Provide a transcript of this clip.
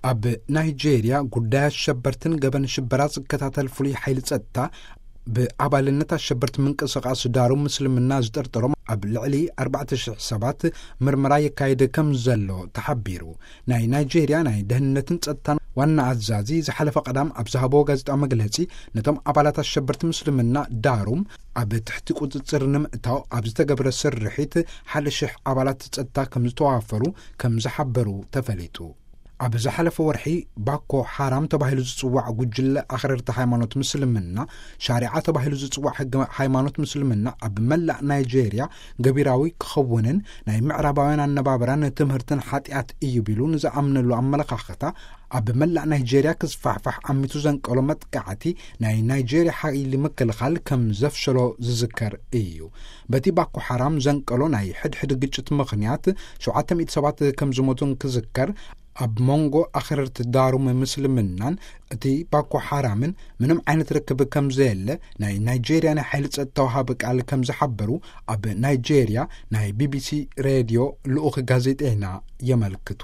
ኣብ ናይጄርያ ጉዳይ ኣሸበርትን ገበን ሽበራ ዝከታተል ፍሉይ ሓይሊ ጸጥታ፣ ብኣባልነት ኣሸበርቲ ምንቅስቓስ ዳሩ ምስልምና ዝጥርጥሮም ኣብ ልዕሊ ኣርባዕተ ሽሕ ሰባት ምርመራ የካይድ ከም ዘሎ ተሓቢሩ። ናይ ናይጄርያ ናይ ደህንነትን ጸጥታን ዋና ኣዛዚ ዝሓለፈ ቀዳም ኣብ ዝሃቦ ጋዜጣዊ መግለጺ፣ ነቶም ኣባላት ኣሸበርቲ ምስልምና ዳሩም ኣብ ትሕቲ ቁጽጽር ንምእታው ኣብ ዝተገብረ ስርሒት ሓደ ሽሕ ኣባላት ጸጥታ ከም ዝተዋፈሩ ከም ዝሓበሩ ተፈሊጡ። ኣብ ዝሓለፈ ወርሒ፣ ባኮ ሓራም ተባሂሉ ዝጽዋዕ ጉጅለ ኣኽረርቲ ሃይማኖት ምስልምና፣ ሻሪዓ ተባሂሉ ዝጽዋዕ ሕጊ ሃይማኖት ምስልምና ኣብ መላእ ናይጄርያ ገቢራዊ ክኸውንን ናይ ምዕራባውያን ኣነባብራን ትምህርትን ሓጢኣት እዩ ቢሉ ንዝኣምነሉ ኣመለኻኽታ ኣብ መላእ ናይጄርያ ክስፋሕፋሕ ኣሚቱ ዘንቀሎ መጥቃዕቲ ናይ ናይጄርያ ሓይሊ ምክልኻል ከም ዘፍሸሎ ዝዝከር እዩ። በቲ ባኮ ሓራም ዘንቀሎ ናይ ሕድሕድ ግጭት ምኽንያት ሸውዓተ ሚእቲ ሰባት ከም ዝሞቱን ክዝከር፣ ኣብ መንጎ ኣኽረርቲ ዳሩም ምስልምናን እቲ ባኮ ሓራምን ምንም ዓይነት ርክብ ከም ዘየለ ናይ ናይጄርያ ናይ ሓይሊ ጸጥታ ወሃቢ ቃል ከም ዝሓበሩ ኣብ ናይጄርያ ናይ ቢቢሲ ሬድዮ ልኡኽ ጋዜጠይና የመልክቱ።